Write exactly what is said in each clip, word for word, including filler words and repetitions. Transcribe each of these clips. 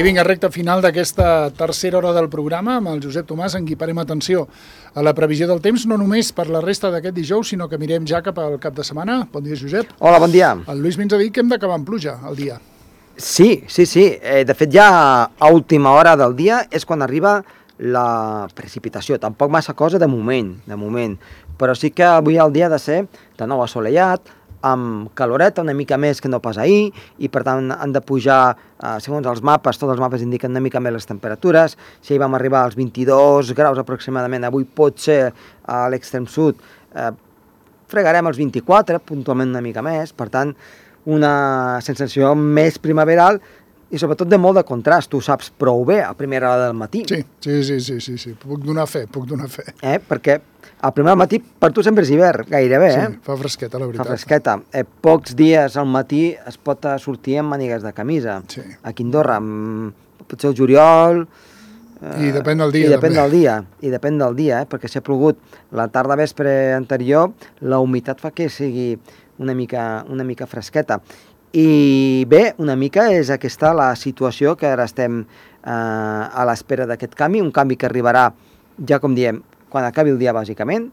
I vinga, recta final d'aquesta tercera hora del programa amb el Josep Tomàs, en qui parem atenció a la previsió del temps, no només per la resta d'aquest dijous, sinó que mirem ja cap al cap de setmana. Bon dia, Josep. Hola, bon dia. El Lluís ens ha dit que hem d'acabar amb pluja el dia. Sí, sí, sí. Eh, de fet, ja a última hora del dia és quan arriba la precipitació. Tampoc massa cosa de moment, de moment. Però sí que avui el dia ha de ser de nou assolellat, amb caloreta, una mica més que no pas ahir, i per tant han de pujar, eh, segons els mapes, tots els mapes indiquen una mica més les temperatures. Si ahir vam arribar als vint-i-dos graus aproximadament, avui pot ser a l'extrem sud, eh, fregarem els vint-i-quatre, puntualment una mica més, per tant, una sensació més primaveral i sobretot de molt de contrast. Tu saps prou bé a primera hora del matí. Sí, sí, sí, sí, sí, sí. Puc donar fe, puc donar fe. Eh? Perquè a primera hora del matí per tu sempre és hivern, gairebé, eh? Sí, fa fresqueta, la veritat. Fa fresqueta. Eh, pocs dies al matí es pot sortir amb mànigues de camisa. Sí. Aquí a Andorra, potser el juliol... Eh, I depèn del dia, I depèn també. del dia, i depèn del dia, eh? Perquè si ha plogut la tarda vespre anterior, la humitat fa que sigui una mica, una mica fresqueta. I bé, una mica és aquesta la situació que ara estem eh, a l'espera d'aquest canvi, un canvi que arribarà, ja com diem, quan acabi el dia bàsicament,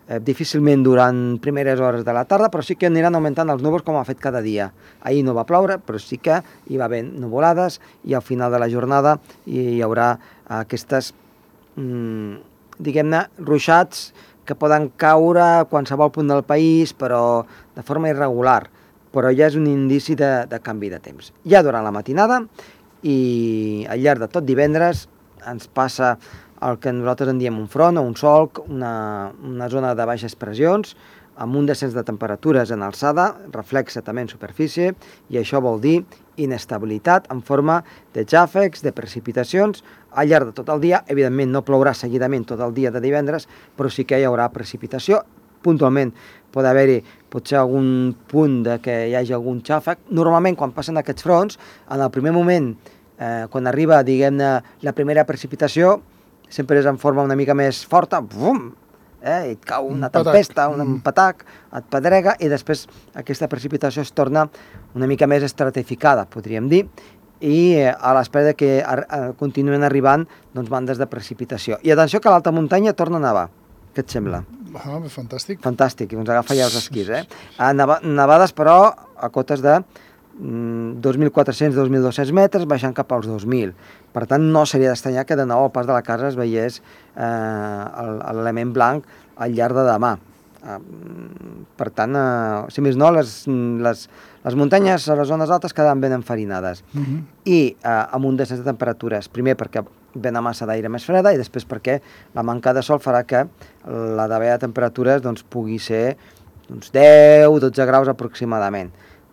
eh, difícilment durant primeres hores de la tarda, però sí que aniran augmentant els núvols com ha fet cada dia. Ahir no va ploure, però sí que hi va haver nuvolades i al final de la jornada hi haurà aquestes, mm, diguem-ne, ruixats que poden caure a qualsevol punt del país, però de forma irregular. Però ja és un indici de, de canvi de temps. Ja durant la matinada i al llarg de tot divendres ens passa el que nosaltres en diem un front o un solc, una, una zona de baixes pressions, amb un descens de temperatures en alçada, reflexa també en superfície, i això vol dir inestabilitat en forma de xàfecs, de precipitacions, al llarg de tot el dia. Evidentment no plourà seguidament tot el dia de divendres, però sí que hi haurà precipitació. Puntualment pot haver-hi potser algun punt de que hi hagi algun xàfec. Normalment, quan passen aquests fronts, en el primer moment, eh, quan arriba, diguem-ne, la primera precipitació, sempre és en forma una mica més forta, bum, eh, et cau una tempesta, un patac, et pedrega, i després aquesta precipitació es torna una mica més estratificada, podríem dir, i eh, a l'espera que ar continuen arribant doncs, bandes de precipitació. I atenció que a l'alta muntanya torna a nevar. Què et sembla? Ah, fantàstic. Fantàstic, i ens agafa ja els esquís, eh? Neva, nevades, però, a cotes de mm, dos mil quatre-cents a dos mil dos-cents metres, baixant cap als dos mil. Per tant, no seria d'estranyar que de nou al pas de la casa es veiés eh, l'element blanc al llarg de demà. Eh, per tant, eh, si més no, les, les, les muntanyes a les zones altes quedaven ben enfarinades. Uh -huh. I eh, amb un descens de temperatures, primer perquè ve una massa d'aire més freda i després perquè la manca de sol farà que la davalla de temperatures doncs, pugui ser uns deu a dotze graus aproximadament.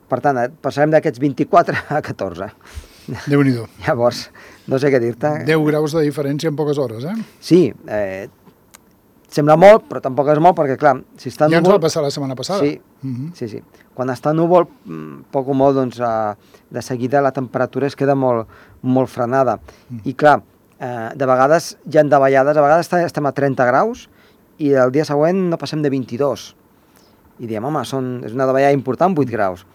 Per tant, passarem d'aquests vint-i-quatre a catorze. Déu-n'hi-do. Llavors, no sé què dir-te. deu graus de diferència en poques hores, eh? Sí, eh, sembla molt, però tampoc és molt, perquè clar, si està ja núvol... ens va passar la setmana passada. Sí, uh -huh. sí, sí. Quan està núvol, poc o molt, doncs, eh, de seguida la temperatura es queda molt, molt frenada. Uh -huh. I clar, eh, de vegades hi ha davallades, a vegades estem a trenta graus i el dia següent no passem de vint-i-dos. I diem, home, són, és una davallada important, vuit graus.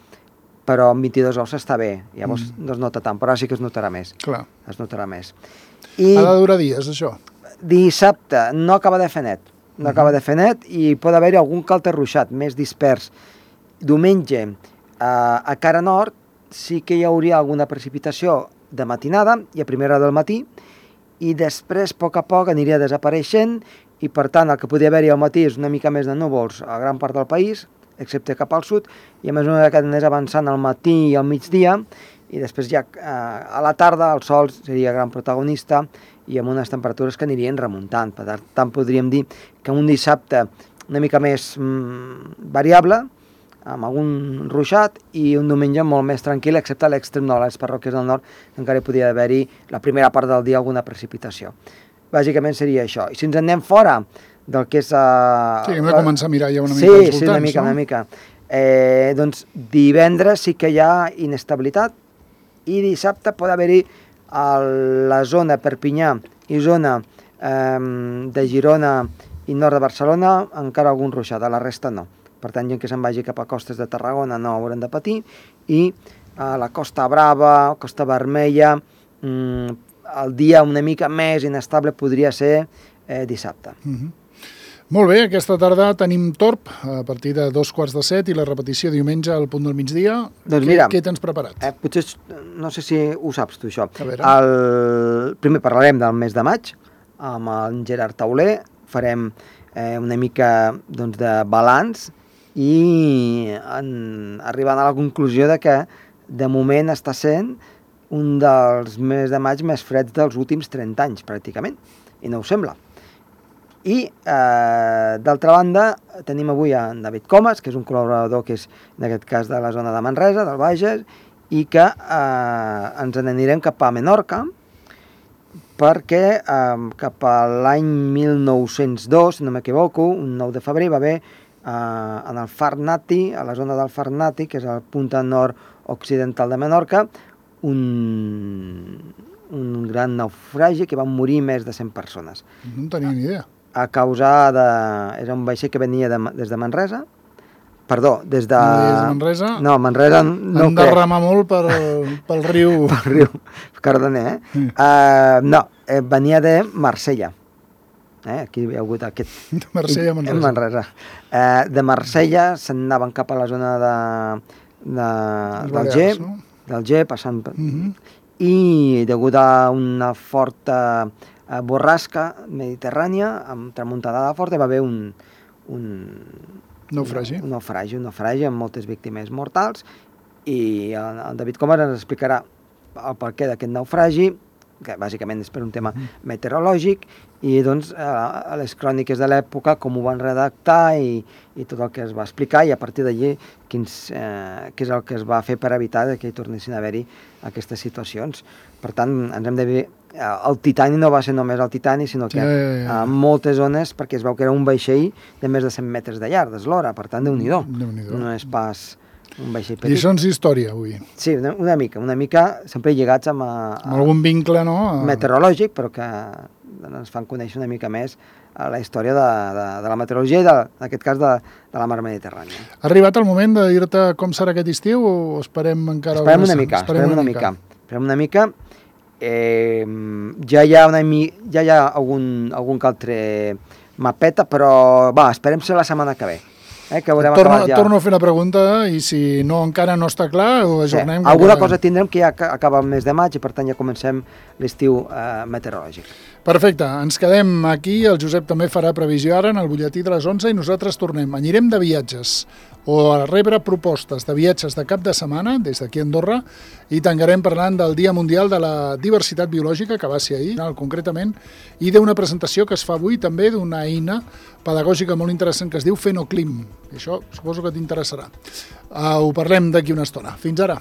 Però amb vint-i-dos graus està bé, llavors mm. no es nota tant, però ara sí que es notarà més. Clar. Es notarà més. I ha de durar dies, això? Dissabte no acaba de fer net, no uh -huh. acaba de fer net i pot haver-hi algun calter ruixat més dispers. Diumenge, eh, a cara nord, sí que hi hauria alguna precipitació de matinada i a primera hora del matí, i després, a poc a poc, aniria desapareixent, i per tant el que podria haver-hi al matí és una mica més de núvols a gran part del país, excepte cap al sud, i a mesura que anés avançant al matí i al migdia, i després ja eh, a la tarda el sol seria gran protagonista i amb unes temperatures que anirien remuntant. Per tant, podríem dir que un dissabte una mica més mm, variable, amb algun ruixat, i un diumenge molt més tranquil, excepte a l'extrem nord, a les parròquies del nord, que encara hi podria haver-hi la primera part del dia alguna precipitació. Bàsicament seria això. I si ens en anem fora del que és... Uh, sí, hem de començar a mirar ja una mica sí, als voltants, sí, una mica, no? una mica. Eh, doncs divendres sí que hi ha inestabilitat i dissabte pot haver-hi a la zona Perpinyà i zona eh, de Girona i nord de Barcelona encara algun ruixat, a la resta no. Per tant, gent que se'n vagi cap a costes de Tarragona no hauran de patir, i a la Costa Brava, Costa Vermella, mm, el dia una mica més inestable podria ser eh, dissabte. Uh-huh. Molt bé, aquesta tarda tenim Torp a partir de dos quarts de set i la repetició diumenge al punt del migdia. Doncs què, mira, què tens preparat? Eh, potser, no sé si ho saps tu, això. A veure. El, primer parlarem del mes de maig, amb en Gerard Tauler, farem eh, una mica doncs, de balanç i en, arribant a la conclusió de que de moment està sent un dels mesos de maig més freds dels últims trenta anys, pràcticament, i no ho sembla. I, eh, d'altra banda, tenim avui en David Comas, que és un col·laborador que és, en aquest cas, de la zona de Manresa, del Bages, i que eh, ens n'anirem cap a Menorca, perquè eh, cap a l'any mil nou-cents dos, si no m'equivoco, un nou de febrer, va haver eh, en el Far Nati, a la zona del Far Nati, que és el punta nord-occidental de Menorca, un, un gran naufragi que van morir més de cent persones. No en tenia ni idea. A causa de... Era un vaixell que venia de, des de Manresa. Perdó, des de... No des de Manresa? No, Manresa no Han de remar molt per, pel riu... Pel riu Cardener, eh? Mm. Uh, no, eh, venia de Marsella. Eh? Aquí hi ha hagut aquest... De Marsella a Manresa. Manresa. Uh, de Marsella se'n anaven cap a la zona de, de, del G, no? del G, passant... Uh-huh. I degut a una forta eh, borrasca mediterrània, amb tramuntada forta, hi va haver un... un naufragi. Un, un naufragi, un naufragi amb moltes víctimes mortals, i el, el David Comas ens explicarà el perquè d'aquest naufragi, que bàsicament és per un tema meteorològic, i doncs eh, a les cròniques de l'època com ho van redactar i, i tot el que es va explicar, i a partir d'allí quins, eh, què és el que es va fer per evitar que hi tornessin a haver-hi aquestes situacions. Per tant, ens hem de dir, el Titani no va ser només el Titani, sinó que ja, ja, ja. en moltes zones, perquè es veu que era un vaixell de més de cent metres de llarg, d'eslora, per tant, Déu-n'hi-do. Déu-n'hi-do. No és pas un vaixell petit. Lliçons d'història, avui. Sí, una, una mica, una mica sempre lligats amb, a, a, amb algun vincle, no? A... meteorològic, però que ens fan conèixer una mica més a la història de, de, de la meteorologia i, de, en aquest cas, de, de la mar Mediterrània. Ha arribat el moment de dir-te com serà aquest estiu o esperem encara... Esperem una mica, esperem una mica. Esperem una mica. Eh, ja hi ha, una, ja hi ha algun, algun que altre mapeta, però va, esperem ser la setmana que ve. Eh, que haurem torno, ja. torno a fer la pregunta i si no encara no està clar ho ajornem. Sí, alguna cosa tindrem que ja acaba el mes de maig i per tant ja comencem l'estiu eh, meteorològic. Perfecte, ens quedem aquí, el Josep també farà previsió ara en el butlletí de les onze i nosaltres tornem. Anirem de viatges o a rebre propostes de viatges de cap de setmana des d'aquí a Andorra i tancarem parlant del Dia Mundial de la Diversitat Biològica que va ser ahir, concretament, i d'una presentació que es fa avui també d'una eina pedagògica molt interessant que es diu Fenoclim. I això suposo que t'interessarà. Uh, ho parlem d'aquí una estona. Fins ara.